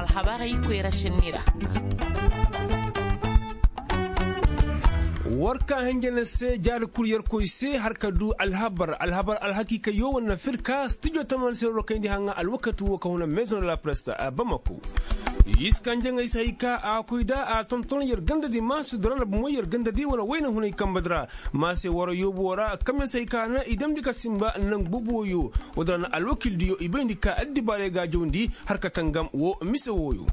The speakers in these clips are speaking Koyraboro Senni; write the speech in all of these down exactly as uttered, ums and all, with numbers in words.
Alhabarey koyra sinni ra. War ka hinja na se jaari kul yerkoy se har ka du alhabar alhabar alhakiikayyo wane firka stijo taman se roro kayndi haŋa alwakati wo ka huna maison de la presse. Bamako. Iskanjaŋey se hay ka a koy da a tonton yer gandadi ma sudura na bumoy yer gandadi wane wayna hunay kambadi ra. Ma se wara yoobo ra kamya se hay ka na i damndi ka simba naŋ boboyo. Wodin ra na alwakildiyo i bayndi ka addibaarey ga a jawndi har ka tangam wo mise wooyo.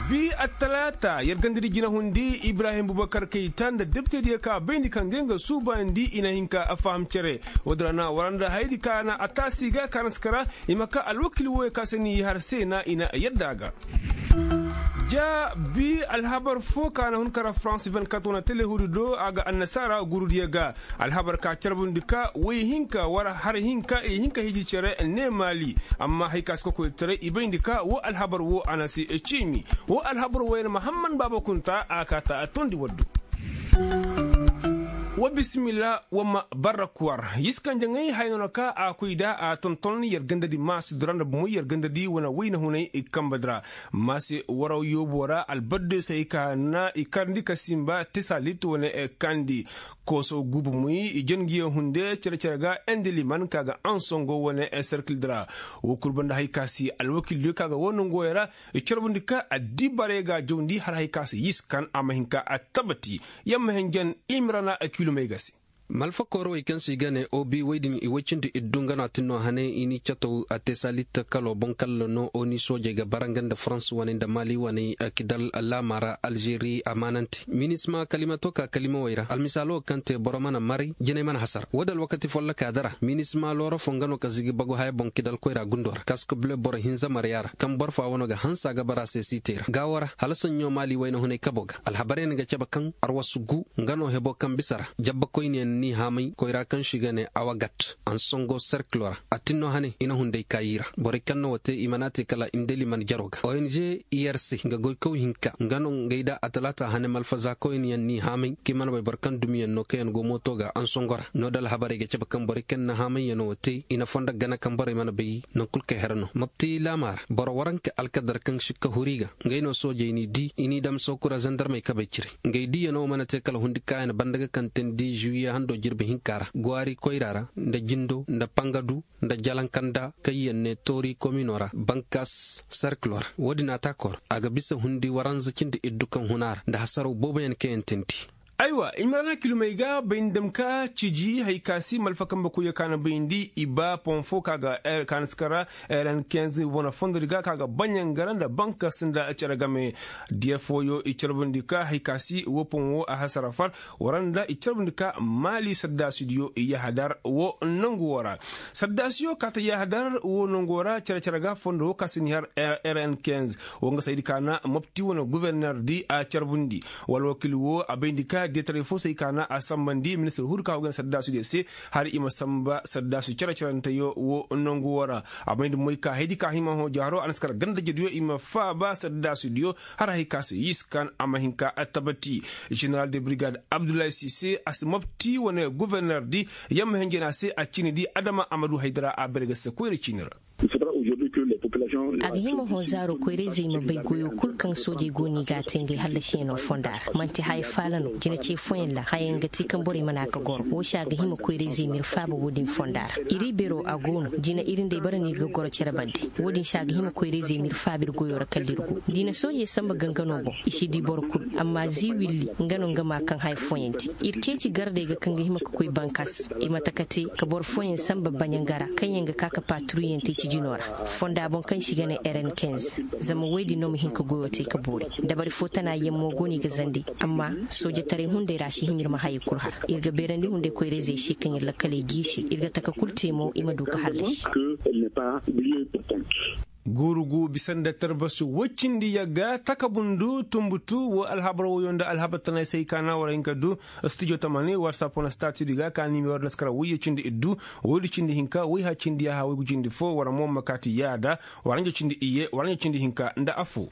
Bi attalaata yer gandadi jinahundi ibrahim bubakar kayta nda depitediyo ka bayndi ka ngey nga suubaandi i na hin ka faham cere. Wodin ra na wara nda hayadi ka na a taasi ga ka na si kara i ma ka alwakil wooyo ka se ni har se na i na yadda a ga. Ja bi alhabar fo ka na hun kara farans vingt-quatre wane telehuudi do a ga annasaara gurudiyo ga. Alhabar ka carbundi ka woy hinka war har hinka i hinka hiji cere ne maali. Amma hay ka si kokoytaray i bayndi ka wo alhabar wo a na si ciimi. Wo alhabar wo yer mahamman baaba kunta a kaata a tondi waddu. Wa bisimilla wa ma barra kuwar yiskanjaŋey haya no na ka a koy da a tonton yer gandadi maasi dura nda bumoy yer gandadi wane wayna hunay kambadi ra. Maase waraw yoobo ra albaddo se hay ka na i karndi ka simba tisalit wane kandi. Kooso guubu muy i jangiyo hunde cere-cere ga ende liman ka ga ansongo wane serkildi ra. Wo kul banda hay ka si alwakildiyo ka ga wo nongoyo ra. I carbundi ka addibaray ga jawndi har hay ka si yiskan a ma hin ka attabati. Yamma henjen imirana kilomey ga se. Malfa koorowey kaŋ se i ga ne obi woy din i woy cindi iddu nga no a tin no hane i n'i catow a te salit kalo boŋ kalla no oni soojey ga bara nga nda farans waney nda mali waney kidal laama ra alžeri amaanante minisma kalimato ka kalimawey ra almisaalo kaŋ te boro mana maray jinay mana hasara wo da alwakati folloka dara minisma looro fo nga no ka zigi bagu haya boŋ kidal koyra gundo ra kask bule boro hinza marya ra kaŋ boro fo wano ga hanse a ga bara se siitey ra gaawo ra hala saɲɲo mali wayna hunay kabo ga alhabarey na ga cabe kaŋ arwasu gu nga no hebo kaŋ bisa ra jabbakoyniyaŋ n'i haamay koyra kaŋ se i ga ne awagat ansongo serkilo ra a tin no hane i na hunday kaayi ra borey kaŋ no wo te i mana te kala indeli mana jaro ga ong irc nga goykaw hinka nga no ngey da atalaata hane malfaza koyniyaŋ n'i haamay kaŋ i mana bay boro kaŋ dumiyaŋ no kaŋ yaŋ go mooto ga ansongo ra no da alhabarey ga cabe kaŋ borey kaŋ na haamayyaŋo wo te i na fondo gana kaŋ borey mana bay naŋ kul kay hera no mopti laama ra boro waranka alkadar kaŋ sikka huri ga ngey no soojey n'i di i n'i dam sookura zandarmey kabey cire ngey diiyaŋo mana te kala hundi kaayaŋ banda ga kaŋ teendi žuwiye hando jirbi hinka ra gwaari koyra ra nda jindo nda pangadu nda jalankanda kaŋ yaŋ ne toori komino ra bankas serkilo ra wo-din ataako ra a ga bisa hundi waranza cindi iddu kaŋ huna ra nda hasaraw booboyaŋ kaŋ yaŋ teendi. Aywa i ma ra na kilomey ga bay ni dam ka ciji hay ka si malfa kambe koyyo ka na bayndi i ba pon fo ka ga ka na si kara rn kinze wane fondodi ga ka ga baɲangara nda bankas nda cere game diya fooyo i carbundi ka hay ka si wo pon wo a hasara far wara nda i carbundi ka maali saddaasidiyo i yahadar wo nangu wo ra. Saddaasiyo kaata yahadar wo nangu wo ra cere-cere ga fondo wo ka si ni har rn kinze wo nga saydi ka na mopti wane guverner di a carbundi wala wakil wo a bayndi ka detaray fo say ka na a sambandi ministir hudu ka wo gana saddaasidiyo se har i ma samba saddaasu cere-cerenteyo wo nangu wo ra. A bayndi moy ka haydi ka hima hõ jaaro a na si kar gandajediyo i ma faaba saddaasudiyo har hay ka se yiskan a ma hin ka attabati. Jeneral de brigade abdullahi sise a si mopti wane guverner di yamma henjena se a cini di adama amadu haydara a bere ga se koyra cini ra. A ga hima hõ zaaro koyrayzey ma bay goyo kul kaŋ soojey go no i ga a te ngey hallasiyaŋo fonda ra man'ti haya faala no jina ce fooyaŋ ra hayaŋ ga te kaŋ borey mana ka goro wo se a ga hima koyrayzey ma ir faaba wo-din fonda ra ir ibero a go no jina ir nd'ey bara no ir ga goro cere bande. Wo-din se a ga hima koyrayzey ma ir faaba ir goyo ra kala ir go da i na soojey samba gangano boŋ i si di boro kul. Amma zii willi nga no nga ma kaŋ haya fooyaŋ te ir ceeci gardey ga kaŋ ga hima ka koy bankas i ma taka te ka boro fooyaŋ samba baɲanga ra kaŋ yaŋ ga ka ka paaturuyaŋ te cijino ra fonda boŋ kaŋ se i ga ne rn kinze. Zama woy din no ma hin ka goyo te ka boori dabari fo tana yaŋ mo go no i ga zandi. Amma soojataray hunday ra si hima ir ma hayey kul har ir ga beerandi hunday koyrayzey se kaŋ ir lakkaley giisi ir ga taka kul te mo i ma du ka hallasi. Guurugu bisa nda tarbasu woy cindi yagga takabundu tumbutu wo alhabar woyo nda alhabar tanay se ay kaana war hinka du. Studio tamani war sapona statudi ga ka nimero naskara woyyo cindi iddu woydu cindi hinka woy ha cindi yaha woygu cindi fo war mo ma kaati yaada. War hanja cindi iyye war hanja cindi hinka nda affo.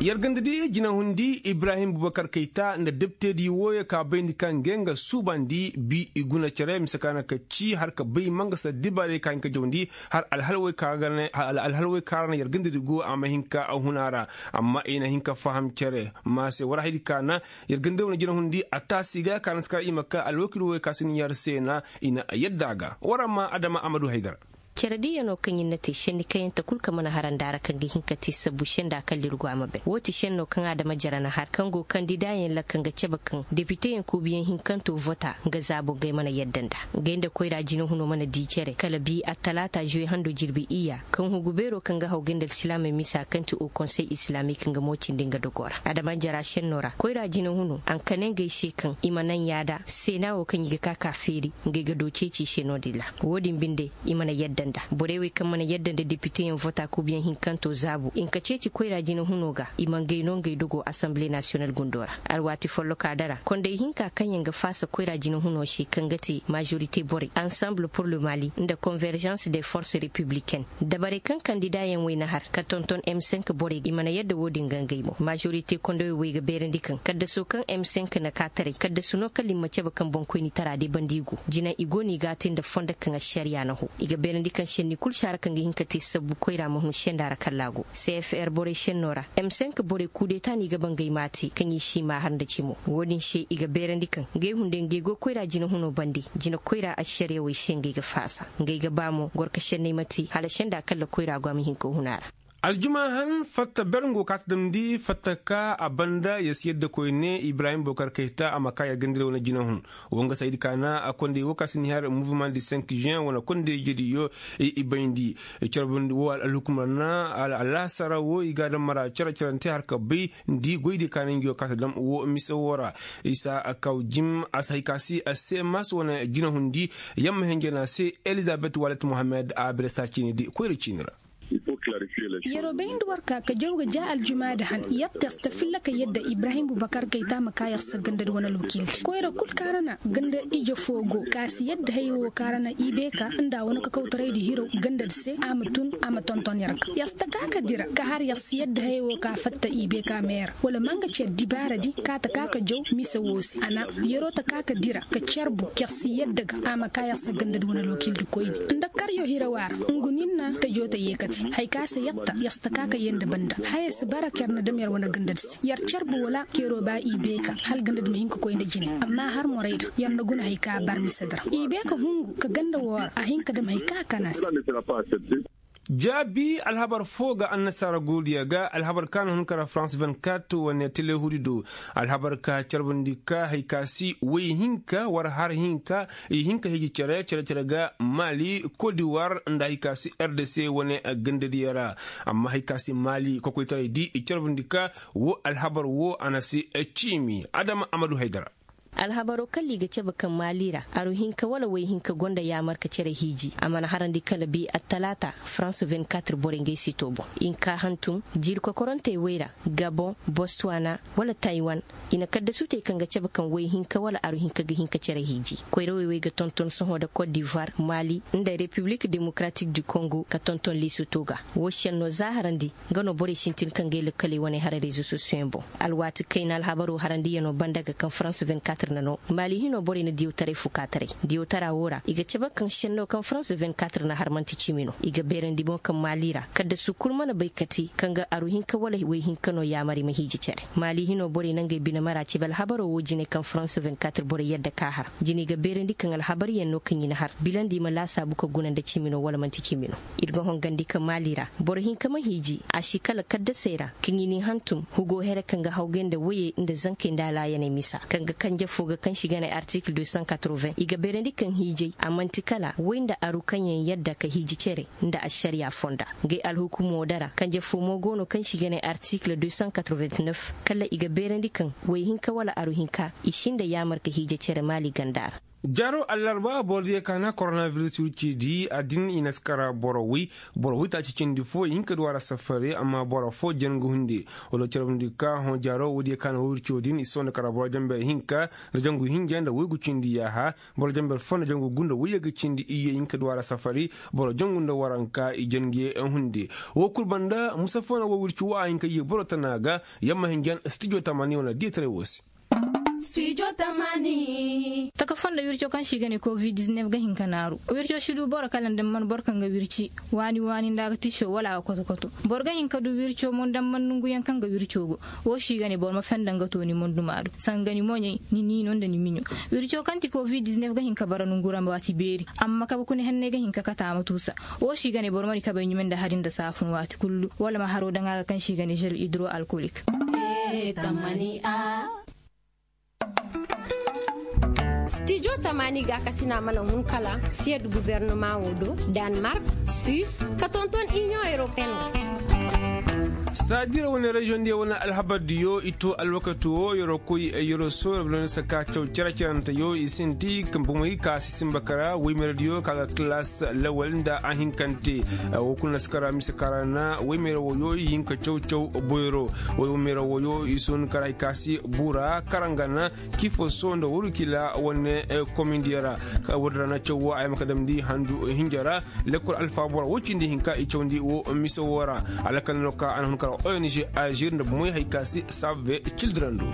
Yer ganda di jinahundi ibrahim bubakar kayta nda deptedi wooyo ka bayndi ka ngey nga suubandi bi i guna cere mise ka na ka ci har ka bay mangasa dibaarey ka hin ka jawndi har alhalwey ka ra na yer ganda di go a ma hin ka huna ra. Amma i na hin ka faham cere ma se war haydi ka na yer ganda di wane jinahundi a taasi ga ka na si kar i ma ka alwakil wooyo ka si ni yer se na i na yadda a ga war amma adama amadu haydar. Cere diyanoo kaŋ ir na te senni kayante kul kaŋ mana harandi a ra kaŋ ga hin ka te sabbu senda kaŋ lirgu a ma bay woo ti sennoo kaŋ adama jara na har kaŋ go kandidaayaŋ lakka nga cabe kaŋ depiteyaŋ kuubiyaŋ hinkanto vota nga zaabo ngey mana yadda nda. Ngey nda koyra jinahuno mana dii cere kala bii attalaata zuwe hando jirbi iyya kaŋ hugu beeroo kaŋ ga haw gay nda alsilaamey misa kaŋ ti o konsey islaamik nga mo cindi nga dogoo ra adama jara sennoo ra koyra jinahuno a na kane ngey se kaŋ i ma naŋ yaada seena woo kaŋ i ga ka ka feeri ngey ga doo ceeci i se no-din ra. Woo din binde i mana yadda nda borey wey kaŋ mana yadda nda depiteyaŋ vota kuubiyaŋ hinkanto zaabu i nka ceeci koyra jinahuno ga i ma ngey no ngey dogoo asanbile nasiyonal gundoo ra. Alwaati follokaa dara konday hinka kaŋyaŋ ga faasa koyra jinahunoo se kaŋ ga te majorite borey ansanbul pur le mali nda konveržans de forse repibliken dabarey kaŋ kandidaayaŋ wey na har ka tonton m cinq borey i mana yadda woo din ga ngey mo majorite kondowey wey ga beerandi kaŋ kaddasoo kaŋ m cinq na kaataray kaddasu no kala i ma cabe kaŋ boŋkoynitaraa day banda i go jina i go no i ga a te nda fondo kaŋ ašariya na hoo i ga beerandi kaŋ šenni kul si a ra kaŋ ga hin ka te sabbu koyra ma hun senda ra kallaa go cfr borey šennoo ra m cinq borey kuudeeta no i ga ba ngey m'a te kaŋ i si i m'a har nda cimo woo din se i ga beerandi kaŋ ngey hunday ngey go koyra jinahunoo bande jina koyra ašariyawey se ngey ga faasa ngey ga ba mo gorka šenney ma te hala senda kalla koyra go a ma hin ka hun a ra. Aljumaa han fatta ber nga go kaati damndi fatta ka a banda yer si yadda koyne ibrahim bokar kayta a ma ka yer ganda nda wane jinahun woo nga saydi ka na a konday woo ka si ni har mouvement du cinq juin wane konday jediyo i bayndi. Carbundi woo alhukumar na alaasara woo i ga a daŋ mara cere cerante har ka bay nda i goydi ka na ngi woo kaati dam woo mise woo ra. Isa kaw jim a si hay ka si a se maas wane jinahundi yamma henjena se elizabet walet mohammed a bere saa ciini di koyra ciini ra. Yeroo bayndi war ka ka jaw ga ja aljumaadi han yer testa filla ka yadda ibrahim bubakar kayta ma ka yer sa ganda nda wane alwakiildi koyra kul ka ra na ganda ije foo go ka si yadda haya woo ka ra na ibeeka nda wane kakawtaraydi hirow ganda nda se a ma tun a ma tonton yer ga yer si ta ka ka dira ka har yer si yadda haya woo ka fatta ibeeka meer wala manga ci addibaaradi ka ta ka ka jaw mise woo se a na yeroo ta ka ka dira ka carbu yer si yadda ga a ma ka yer sa ganda nda wane alwakiildi koyne nda karyo hirawaa ra ngu nin na tajoo ta yeekate haya ka se yer ta yer si ta ka ka yee nda banda haya si bara ker na dam yer wane gandadi se yer carbu wala keroo ba i beeka hala gandadi ma hin ka koy nda jine amma har morayda yer nda guna haya ka bar misedi ra i beeka hungu ka ganda woo ra a hin ka dam haya ka a kana se. Jaabi alhabar foo ga annasaara goodiya ga alhabar ka na hun kara farans vingt-quatre wane telehuudi do alhabar ka carbundi ka haya ka si woy hinka war har hinka i hin ka hiiji cere cere cere ga maali kodiwar nda haya ka si rdc wane gandadiya ra. Amma haya ka si maali kokoytaray di i carbundi ka woo alhabar woo a na si ciimi adama amadu haydara. Alhabaroo kalla i ga cabe kaŋ maali ra aru hinka wala woy hinka gonda yaamarka cere hiiji a mana harandi kala bi attalaata farans vingt-quatre borey ngey sitoo boŋ i nka hantum jiiri kokorantey wey ra gabon bostuwana wala taywan. I na kaddasutey kaŋ ga cabe kaŋ woy hinka wala aru hinka ga hin ka cere hiiji koyrawey wey ga tonton sohõ nda kot divoir maali nda repiblik demokaratik du kongo ka tonton liisutoo ga. Woo šennoo za harandi nga no borey sintin ka ngey lakkaley wane haray rezo sosiyoŋ boŋ. Alwaati kayna alhabaroo harandiyanoo banda ga kaŋ farans vingt-quatre na no maali hinoo borey na diyawtaray fukaataray diyawtaraa woo ra i ga cabe kaŋ šennoo kaŋ farans vingt-quatre na har man'ti cimi no i ga beerandi boŋ kaŋ maali ra kaddasu kul mana bay kate kaŋ ga aru hinka wala woy hinka no yaamar i ma hiiji cere. Maali hinoo borey na ngey bine mara cabe alhabaroo woo jine kaŋ farans vingt-quatre borey yadda ka har jine i ga beerandi kaŋ alhabaryaŋ no kaŋ i na har bilandi i ma laasaabu ka guna nda cimi no wala man'ti cimi no. Ir ga hongandi ka maali ra boro hinka ma hiiji a si kala kaddasey ra kaŋ i n'i hantum hugoo here kaŋ ga hawgay nda woyey nda zankey nda alaayaney misa kaŋ ga kanje foo ga kaŋ si ga ne artikil deux cent quatre-vingts i ga beerandi kaŋ hiijey a man'ti kala woy nda aru kaŋ yaŋ yadda ka hiiji cere nda ašariyaa fonda. Ngey alhukumoo dara kanje foo mo go no kaŋ si ga ne artikil deux cent quatre-vingt-neuf kala i ga beerandi kaŋ woy hinka wala aru hinka i si nda yaamar ka hiije cere maali ganda ra. Jaaro allarba boro diyo ka na koronabiris wirci di a din i na si kara boro way. Boro way taaci cindi fo i hin ka du a ra safari amma boro fo jen ga hunde. Wala carabndi ka hõ jaaro woodiyo ka na way wirco din i si sohõ nda kara boro jenber hinka nda jangu hinja nda waygu cindi yaaha. Boro jenber fo nda jangu gu nda wayye ga cindi iyye i hin ka du a ra safari. Boro jangu nda waranka i jen ga ye hunde. Wo kul banda musa fo na wo wirci wo a hin ka ye boro tana ga. Yamma hinjan stijo tamani wane diyataray wo se. Taka fondo wirco kaŋ se i ga ne covid-19 ga hin ka naaru wirco si du boro kala nda man boro kaŋ ga wirci waani waani nda a ga tiso wala a ga koto koto. Boro ga hin ka du wirco mo nda man nonguyaŋ kaŋ ga wirco go. Wo si i ga ne boro ma fenda nga to ni monduma do sanga ni moɲey, ni niino nda ni miɲo. Wirco kaŋ ti covid-19 ga hin ka bara nongu ra waati beeri. Amma kabe kuna henney ga hin ka kate a ma tuusa. Wo si i ga ne boro ma di kabey ɲume nda hari nda saafun waati kullu wala ma haro daŋ a ga kaŋ se i ga ne žel hidro alkolik. Stijo tamani ga kasina mana hun kala siyad gubernama wo do, danmark, suis, ka tonton inion europeen wo. Saadira wane reziyoŋ diyo wane alhabar diyo i to alwakati wo yero koy yero sooyar bala no se ka caw cere-cerante yo i sinti, bomey ka si simba kara woymerediyo ka ga kilas lawal nda a hinkante. Wo kulu na si kara mise kara na woymere woyo i hin ka caw caw boyro. Woymere woyo i si hun kara hay ka si bura karangana kifo so nda wurkila wane komindiyo ra. Ka wurda na caw wo a yamma ka damndi handu hinja ra. Lekkol alfaabora wo cindi hinka i cawndi wo mise wo ra. Alakal no ka a na hun kara ong azir nda bomoy hay ka si save cildira ndu.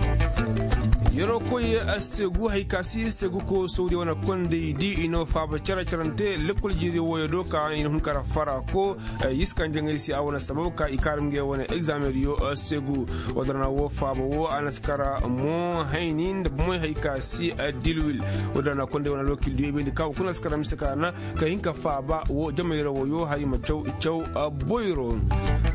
Yeroo koy segu hay ka si segu ko sawdiya wane kondey di i no faaba care carante lekkol jiiri woyo do ka i na hun kara fara ko. Yiskan jaŋay se a wane sabab ka i kaarum ngey wane egzaameŋ diyo segu. Wadara na wo faaba wo a na si kara mo hayni nda bomoy hay ka si dilwil. Wadara na kondey wane alwakil diyo i bayndi ka wo kuna si kara mise ka na ka hin ka faaba wo jamayra woyo hari ma caw caw. Boyro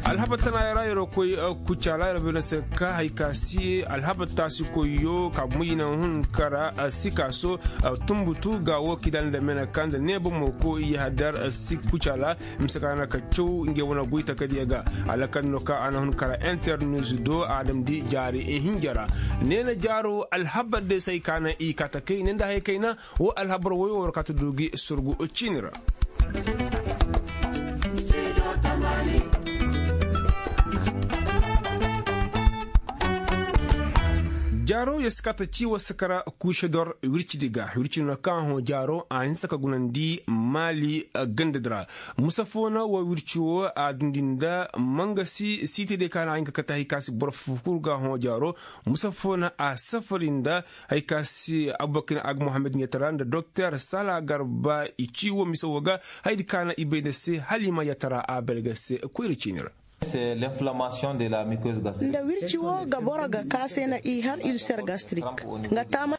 alhaba tana yara yaro koy kucala yaro bayna se ka hay ka si alhaba taasi koyyo ka moyina hun kara sika so. Tumbutu ga wo kidal nda mena ka nda ne bomo ko i hadar si kucala. Mise ka na ka caw nge wana goy takadiya ga. Alakal no ka ana hun kara internews do adam di jaari hinjara. Ne na jaaro alhabar de sai ka na i ka ta kai ne nda hay kaina. Wo alhabar woyo war ka ta dugi surgu ciini ra. Jaaro ya si ka ta ci wa sakara kuuše dor wirci di ga wirci no kaŋ hõ jaaro a hinsa ka gunandi maali ganda di ra. Musa fo na wa wirci wo a dundi nda mangasi siiti day ka na a hin ka kate hay ka si boro fufukuru ga hõ jaaro. Musa fo na a safari nda hay ka si abubakar ag mohammed ɲatara nda doktor sala garba i ci wo mise wo ga. Haydi ka na i bay nda se hala i ma ɲatara a belga se koyra ciini ra. Nda wirci wo ga boro ga ka se na i har ulcer gastrik. Nga taama.